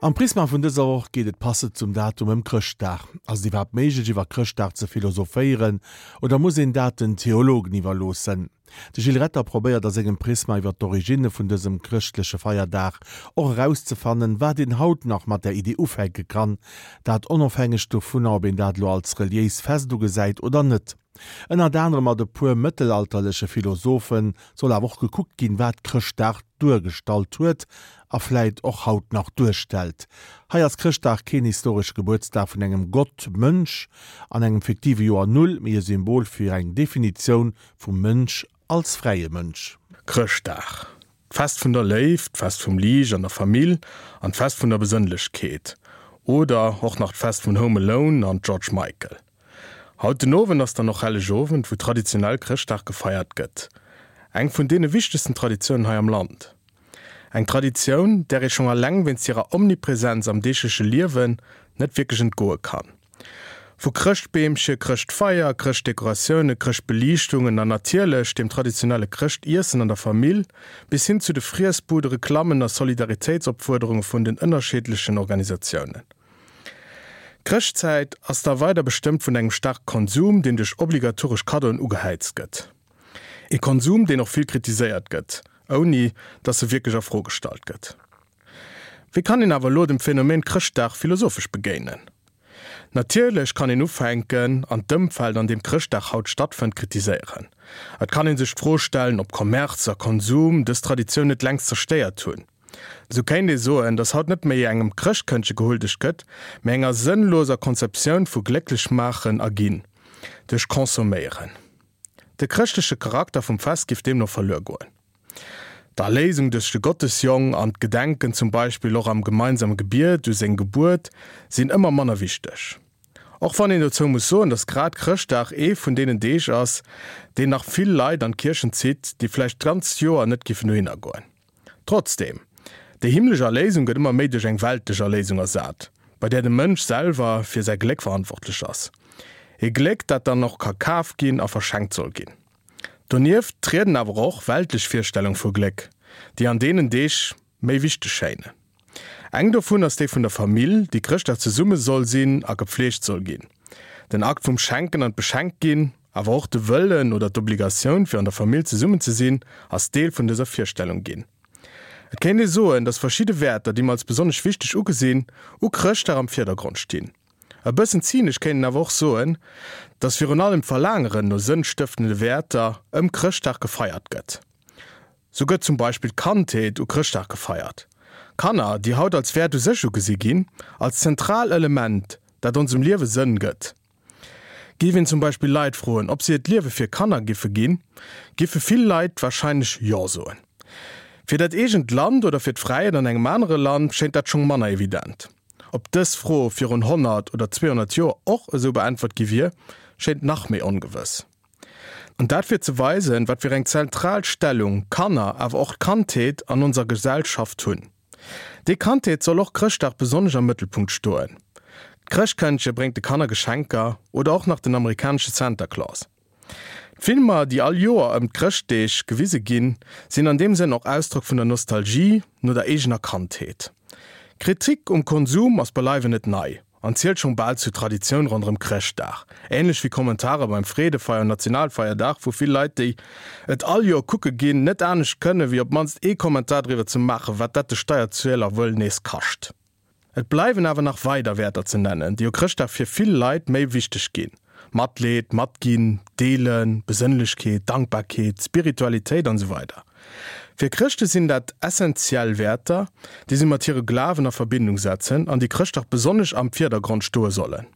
Am Prisma vun dëser Woch geet et passend zum Datum ëm Chrëschtdag. Ass et iwwerhaapt méiglech iwwer Chrëschtdag ze philosophéieren oder muss een dat den Theologen iwwerloossen? De Gilles Retter probéiert a sengem Prisma iwwer d'Originne vun dësem chrëschtleche Feierdag och erauszefannen, wat een haut nach mat där Idee ufänke kann, dat onofhängeg dovunner ob een dat elo als reliéis Fest ugesäit oder net. Ënnert anerem mat e puer mëttelalterleche Philosophe soll awer och gekuckt ginn, wat Chrëschtdag duergestallt huet a vläit och haut nach duerstellt. Hei ass Chrëschtdag keen historesche Gebuertsdag vun engem Gott-Mënsch an engem fiktive Joer Null, mee e Symbol fir eng Definitioun vum Mënsch als fräie Mënsch. Chrëschtdag, d'Fest vun der Léift, d'Fest vum Liicht an der Famill an d'Fest vun der Besënnlechkeet. Oder och nach d'Fest vun Home Alone an George Michael. Haut den Owend ass dann och Helleg Owend, wou traditionell Chrëschtdag gefeiert gëtt. Eng vun deene wichtegsten Traditiounen hei am Land. Eng Traditioun, där ee schonn alleng wéinst hirer Omnipresenz am deegleche Liewen net wierklech entgoe kann. Vu Chrëschtbeemche, Chrëschtfeier, Chrëschtdekoratioune, Chrëschtbeliichtungen an natierlech dem traditionelle Chrëschtiessen an der Famill, bis hin zu de Friessbude, Reklammen a Solidaritéitsopfuerderunge vun den ënnerscheedlechen Organisatiounen. D'Chrëschtzäit ass da weider bestëmmt vun engem staarke Konsum, deen duerch obligatoresch Kaddoen ugehäizt gëtt. Ee Konsum, deen och vill kritiséiert gëtt, ouni datt e wierklech a Fro gestallt gëtt. Wéi kann een awer elo dem Phänomen Chrëschtdag philosophesch begéinen? Natierlech kann een ufänken an d'Ëmfeld, an deem Chrëschtdag haut stattfënnt, kritiséieren. Et kann ee sech d'Fro stellen, ob Kommerz a Konsum dës Traditioun net längst zerstéiert hunn. Esou kéint ee soen, datt haut net méi engem Chrëschtkëndche gehuldegt gëtt, mee enger sënnloser Konzeptioun vu glécklech maachen a ginn duerch Consomméieren. De chrëschtleche Charakter vum Fest giff deemno verluer goen. D'Erléisung duerch de Gottesjong an d'Gedenken zum Beispill och am gemeinsame Gebiet u seng Gebuert sinn ëmmer manner wichteg. Och wann een dozou muss soen, datt grad Chrëschtdag ee vun deenen Deeg ass, deen nach vill Leit an d'Kierchen zitt, déi vläicht d'ganzt Joer net giffen dohinner goen. Trotzdem, déi himmlesch Erléisung gëtt ëmmer méi duerch eng weltlech Erléisung ersat, bei där de Mënsch selwer fir säi Gléck verantwortlech ass. Ee Gléck, dat dann och ka kaf ginn a verschenkt soll ginn. Donieft trieden awer och weltlech Virstellung vu Gléck, déi an deenen Deeg méi wichteg schéinen. Eng dovun ass déi vun der Famill, déi Chrëschtdag zesumme soll sinn a gepfleegt soll ginn. Den Akt vum Schenken an d'Beschenkt ginn, awer och de Wëllen oder d'Obligatioun fir an der Famill zesummen ze sinn, ass Deel vun dëser Virstellung ginn. Et kéint ee soen, datt verschidde Wäerter, déi mer als besonnesch wichteg ugesinn, u Chrëschtdag am Virdergrond stinn. E bëssen zynesch kéint een awer och soen, datt virun allem d'Verlaangeren no sënnstëftende Wäerter ëm Chrëschtdag gefeiert gëtt. Sou gëtt zum Beispill d'Kandheet u Chrëschtdag gefeiert. Kanner, déi haut als Wäert u sech ugesi ginn, als zentral Element, dat onsem Liewe Sënn gëtt. Géif een zum Beispill Leit froen, ob si hiert Liewe fir Kanner giffe ginn, giffe vill Leit warscheinlech Jo soen. Fir dat eegent Land oder fir d'Fräiheet an engem anere Land schéint dat schonn manner evident. Ob dës Fro virun 100 oder 200 Joer och esou beäntwert gi wier, schéint nach méi ongewëss. An dat fir ze weisen, wat fir eng zentral Stellung Kanner, awer och d'Kandheet an onser Gesellschaft hunn. Déi Kandheet soll och Chrëschtdag besonnesch am Mëttelpunkt stoen. D'Chrëschtkëndche bréngt de Kanner Geschenker oder och nach den amerikanesche Santa Claus. D'Filmer, déi all Joer ëm d'Chrëschtdeeg gewise ginn, sinn an deem Sënn och Ausdrock vun der Nostalgie no der eegener Kandheet. Kritik um Konsum ass beileiwen net nei. An zielt schonn bal zur Traditioun ronderëm Chrëschtdag. Ähnlech wéi Kommentare beim Freedefeier un Nationalfeierdag, wou vill Leit, déi et all Joer kucke ginn, net anescht kënnen, wéi op d'mannst ee Kommentar driwwer ze maachen, wat dat de Steierzueler wuel nees kascht. Et bleiwen awer nach weider Wäerter ze nennen, déi u Chrëschtdag fir vill Leit méi wichteg ginn, Matleed, Matginn, Deelen, Besënnlechkeet, Dankbarkeet, Spiritualitéit an esou weider Fir Chrëschte sinn dat essenziell Wäerter, déi si mat hire Glawen a Verbindung setzen an déi Chrëschtdag besonnesch am Virdergrond stoe sollen.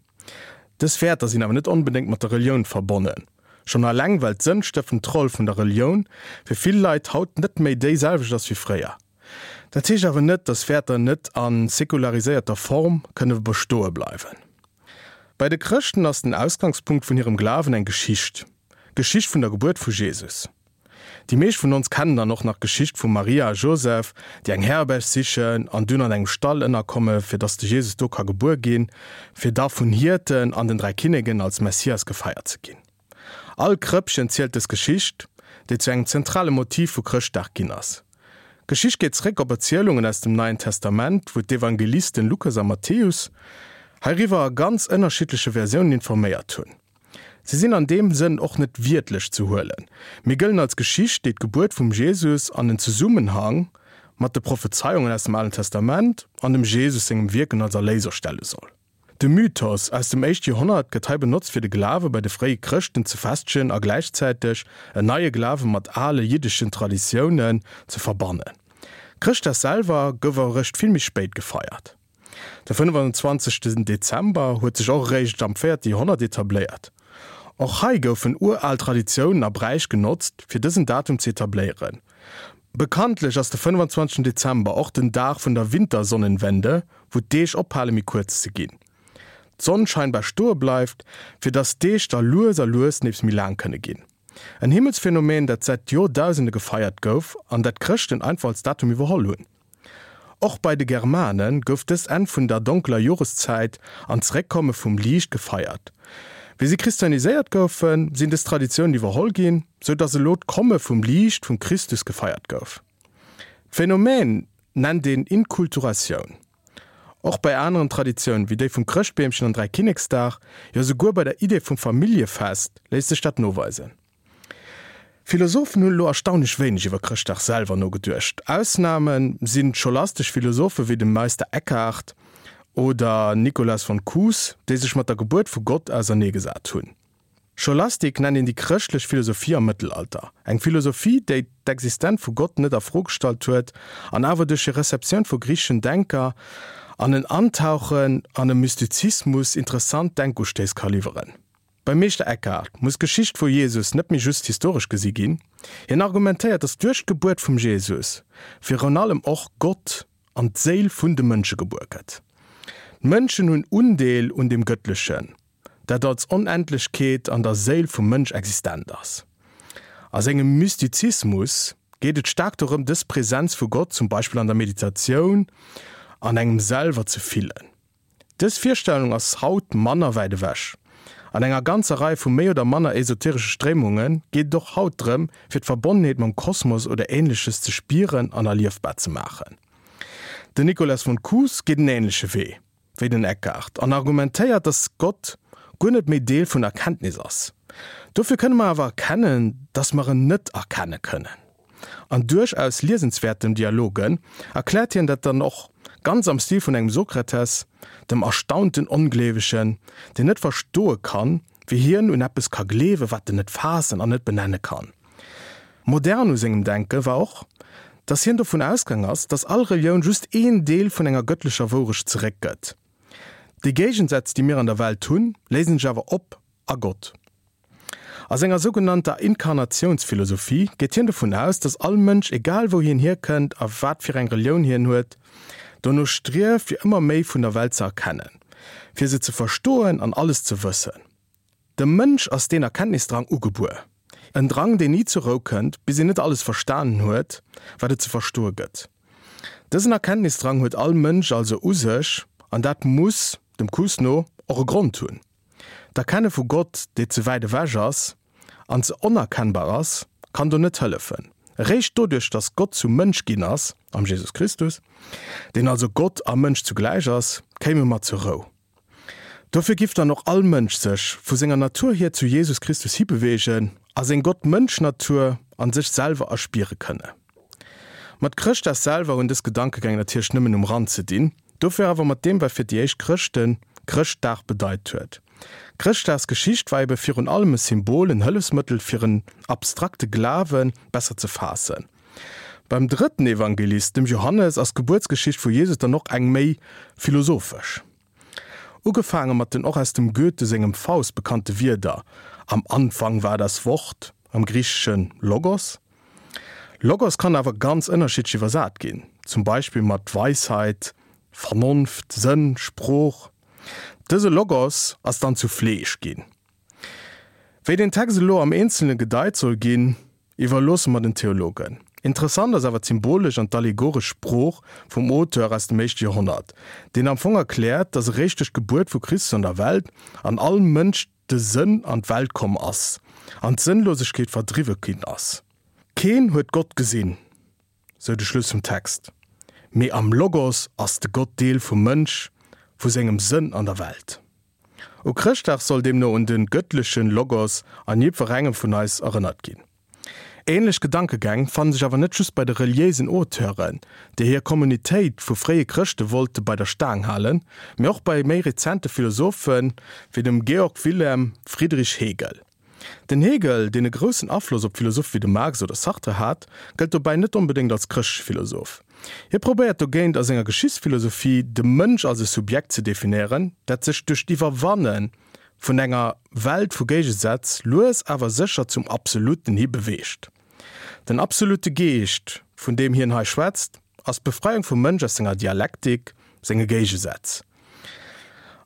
Dës Wäerter sinn awer net onbedéngt mat der Relioun verbonnen, schonn alleng well d'sënnstëftend Roll vun der Relioun fir vill Leit haut net méi déi selwecht ass wéi fréier. Dat heescht awer net, dass Wäerter net a sekulariséierter Form kënne bestoe bleiwen. Bei de Chrëschten ass den Ausgangspunkt vun hirem Glawen eng Geschicht, d'Geschicht vun der Gebuert vu Jesus. Déi meescht vun ons kennen dann och nach d'Geschicht vum Maria a Joseph, déi eng Herberg sichen an dunn an engem Stall ënnerkomme fir dass de Jesus do ka gebuer ginn, fir da vun Hierten an den 3 Kinneken als Messias gefeiert ze ginn. All Krëppchen zielt dës Geschicht, déi zu engem zentrale Motiv vu Chrëschtdag ginn ass. D'Geschicht geet zeréck op Erzielungen aus dem Neien Testament, wou d'Evangelisten Lukas a Matthäus heiriwwer a ganz ënnerschiddleche Versiounen informéiert hunn. Se sinn an deem Sënn och net wiertlech ze huelen, mee gëllen als Geschicht, déi d'Gebuert vum Jesus an en Zesummenhang mat de Prophezeiungen aus dem Alen Testament an dem Jesus sengem Wierken als Erléiser stelle soll. De Mythos aus dem éischte Joerhonnert gëtt hei benotzt fir de Glawe bei de fréie Chrëschten ze festegen a gläichzäiteg en neie Glawe mat ale jiddeschen Traditiounen ze verbannen. Chrëschtdag selwer gouf awer eréischt vill méi spéit gefeiert. De 25. Dezember huet sech och eréischt am véierte Joerhonnert etabléiert. Och hei goufen ural Traditiounen a Bräich genotzt fir dësen Datum ze etabléieren. Bekanntlech ass de 25 Dezember och den Dag vun der Wintersonnenwende, wou d'Deeg ophale méi kuerz ze ginn, d'Sonn scheinbar stoe bleift, fir dass d'Deeg da lues a lues nees méi laang kënne ginn. En Himmelsphenomeen, dat säit Joerdausende gefeiert gouf an dat d'Chrëschten einfach als Datum iwwerholl hunn. Och bei de Germane gouf dëst Enn vun der donkeler Joreszäit an d'Zeréckkomme vum Liicht gefeiert. Wéi si christianiséiert goufen, sinn dës Traditiounen iwwerholl ginn, sou datt elo d'Komme vum Liicht vum Christus gefeiert gouf. D'Phänomen nennt een Inkulturatioun. Och bei aneren Traditiounen, wéi déi vum Chrëschtbeemchen an Dräikinneksdag, jo souguer bei der Idee vum Familljefest léisst sech dat noweisen. Philosophen hunn elo erstaunlech wéineg iwwer Chrëschtdag selwer nogeduecht. Ausname sinn d'scholastesch Philosophe wéi de Meister Eckhart oder Nikolaus von Kues, déi sech mat der Gebuert vu Gott auserneegesat hunn. Scholastik nennt een déi chrëschtlech Philosophie am Mëttelalter, eng Philosophie, déi d'Existenz vu Gott net a Fro gestallt huet an awer duerch hir Receptioun vu griicheschen Denker an en Antauchen an e Mystizismus interessant Denkustéiss ka liwweren. Beim Meeschter Eckhart muss d'Geschicht vu Jesus net méi just historesch gesi ginn. Hien argumentéiert, datt duerch d'Gebuert vum Jesus virun allem och Gott an d'Séil vun de Mënsche gebuer gëtt. D'Mënschen hunn Undeel un dem Gëttlechen, dat als Onendlechkeet an der Séil vum Mënsch existent ass. A sengem Mystizismus geet et staark dorëm, dës Presenz vu Gott zum Beispill an der Meditatioun an engem selwer ze fillen. Dës Virstellung ass haut manner wäit ewech. An enger ganzer Rei vu méi oder manner esoteresche Stréimunge geet et och haut drëm, fir d'Verbonnenheet mam Kosmos oder Ähnleches ze spieren an erliefbar ze maachen. Den Nicolas von Kues geet en ähnleche Wee wéi den Eckhart an argumentéiert, dass Gott guer net méi Deel vun Erkenntnis ass. Dofir kënne mer awer erkennen, dass mer en net erkenne kënnen. An duerchaus liesenswäerten Dialogen erkläert hien dat dann och ganz am Stil vun engem Sokrates, dem erstaunten Ongleewegen, deen net verstoe kann, wéi hien un eppes ka gleewen, wat en net faassen an net benenne kann. Modern u sengem Denke war och, datt hien dovun ausgaang ass, datt all Relioun just een Deel vun enger gëttlecher Wourecht zeréckgëtt. Déi Géigensätz, déi mir an der Welt hunn, léisen sech awer op a Gott. A senger sougenannter Inkarnatiounsphilosophie geet hien dovun aus, datt all Mënsch, egal wou hien hierkënnt a wat fir eng Relioun hien huet, dono strieft fir ëmmer méi vun der Welt ze erkennen, fir se ze verstoen an alles ze wëssen. Dem Mënsch ass deen Erkenntnisdrang ugebuer, en Drang deen ni zur Rou kënnt, bis een net alles verstanen huet, wat et ze verstoe gëtt. Dësen Erkenntnisdrang huet all Mënsch also u sech, an dat muss, dem Kuss no, och e Grond hunn. D'Erkenne vu Gott, dee ze wäit ewech ass an ze onerkennbar ass, kann do net hëllefen. Eréischt doduerch, datt Gott zum Mënsch ginn ass, am Jesus Christus, deen also Gott a Mënsch zugläich ass, kéime mer zur Rou. Dofir giff dann och all Mënsch sech vu senger Natur hier zu Jesus Christus hibeweegen a seng Gott-Mënsch-Natur an sech selwer erspiere kënne. Mat Chrëschtdag selwer hunn dës Gedankegäng natierlech nëmmen um Rand ze dinn, dofir awer mat deem wat fir déi éischt Chrëschte Chrëschtdag bedeit huet. D'Chrëschtdagsgeschicht war ebe virun allem e Symbol, en Hëllefsmëttel fir en abstrakte Glawe besser ze faassen. Beim drëtten Evangelist, dem Johannes, ass d'Gebuertsgeschicht vu Jesus dann och eng méi philosophesch. Ugefaange mat den och aus dem Goethe sengem Faust bekannte Wierder Am Anfang war das Wort, am Griicheschen Logos. Logos kann awer ganz ënnerschiddlech iwwersat ginn, zum Beispill mat Weisheit, Vernonft, Sënn, Sprooch. Dëse Logos ass dann zu Fleesch ginn. Wéi den Text elo am Eenzelne gedeit soll ginn, iwwerloosse mer den Theologen. Interessant ass awer d'symbolesch an d'allegoresch Sprooch vum Auteur aus dem éischte Joerhonnert, deen am Fong erkläert, datt eréischt duerch d'Gebuert vu Christus an der Welt an all Mënsch de Sënn an d'Welt komm ass an d'Sënnlosegkeet verdriwwe ginn ass. Keen huet Gott gesinn. sou de Schluss vum Text. Mee am Logos ass de Gott Deel vum Mënsch, vu sengem Sënn an der Welt. U Chrëschtdag soll deemno un de gëttlechen Logos an jiddwerengem vun eis erënnert ginn. Ähnlech Gedankegäng fannen sech awer net just bei de reliéisen Auteuren, déi hir Kommunitéit vu fréie Chrëschte wollte bei der Staang halen, mee och bei méi rezente Philosophe wéi dem Georg Wilhelm Friedrich Hegel. Den Hegel, deen e groussen Afloss op Philosophe wéi de Marx oder Sartre hat, gëllt dobäi net onbedéngt als chrëschtleche Philosoph. Hie probéiert dogéint a senger Geschichtsphilosophie de Mënsch als e Subjekt ze definéieren, dat sech duerch d'Iwwerwanne vun enger Welt vu Géigesätz lues awer sécher zum Absoluten hi beweegt. Den absolute Geescht, vun deem hien hei schwätzt, ass d'Befreiung vum Mënsch aus senger Dialektik, senge Géigesätz.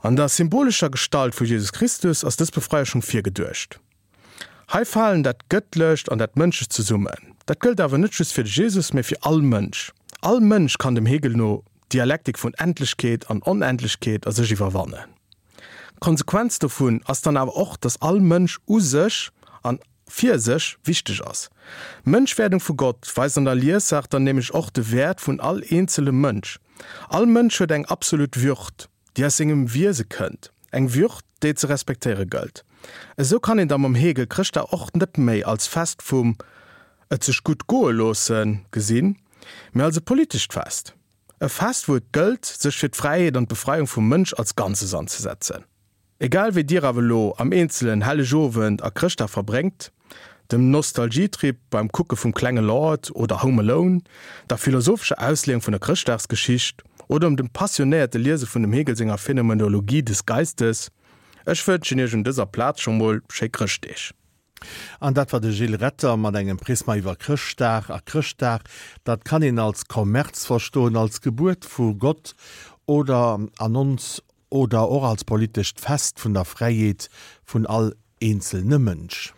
An der symbolescher Gestalt vu Jesus Christus ass dës Befreierung virgeduecht. Hei falen dat Gëttlecht an dat Mënschlecht zesummen. Dat gëllt awer net just fir de Jesus, mä fir all Mënsch. All Mënsch kann dem Hegel no d'Dialektik vun Endlechkeet an Onendlechkeet a sech iwwerwannen. D'Konsequenz dovun ass dann awer och, dass all Mënsch u sech an fir sech wichteg ass. D'Mënschwerdung vu Gott weist an der Liessaach dann nämlech och de Wäert vun all eenzelem Mënsch. All Mënsch huet eng absolut Würd, déi aus sengem Wiese kënnt, eng Würd, déi et ze respektéiere gëllt. Esou kann een da mam Hegel Chrëschtdag och net méi als Fest vum et sech gutt goe loosse gesinn, mee als e politescht Fest. E Fest, wou et gëllt, sech fir d'Fräiheet an d'Befreiung vum Mënsch als Ganzes anzesetzen. Egal wéi dir awer elo am Eenzelen Helleg Owend a Chrëschtdag verbréngt, dem Nostalgietrip beim Kucke vum Klenge Lord oder Home Alone, der philosophescher Ausleeung vun der Chrëschtdagsgeschicht oder dem passionéierte Liese vun dem Hegel senger Phänomenologie des Geistes, ech wënschen iech un dëser Plaz scho mol schéi Chrëschtdeeg. An dat war de Gilles Retter mat engem Prisma iwwer Chrëschtdag. A Chrëschtdag, dat kann een als Kommerz verstoen, als Gebuert vu Gott oder an ons oder och als politescht Fest vun der Fräiheet vun all eenzelne Mënsch.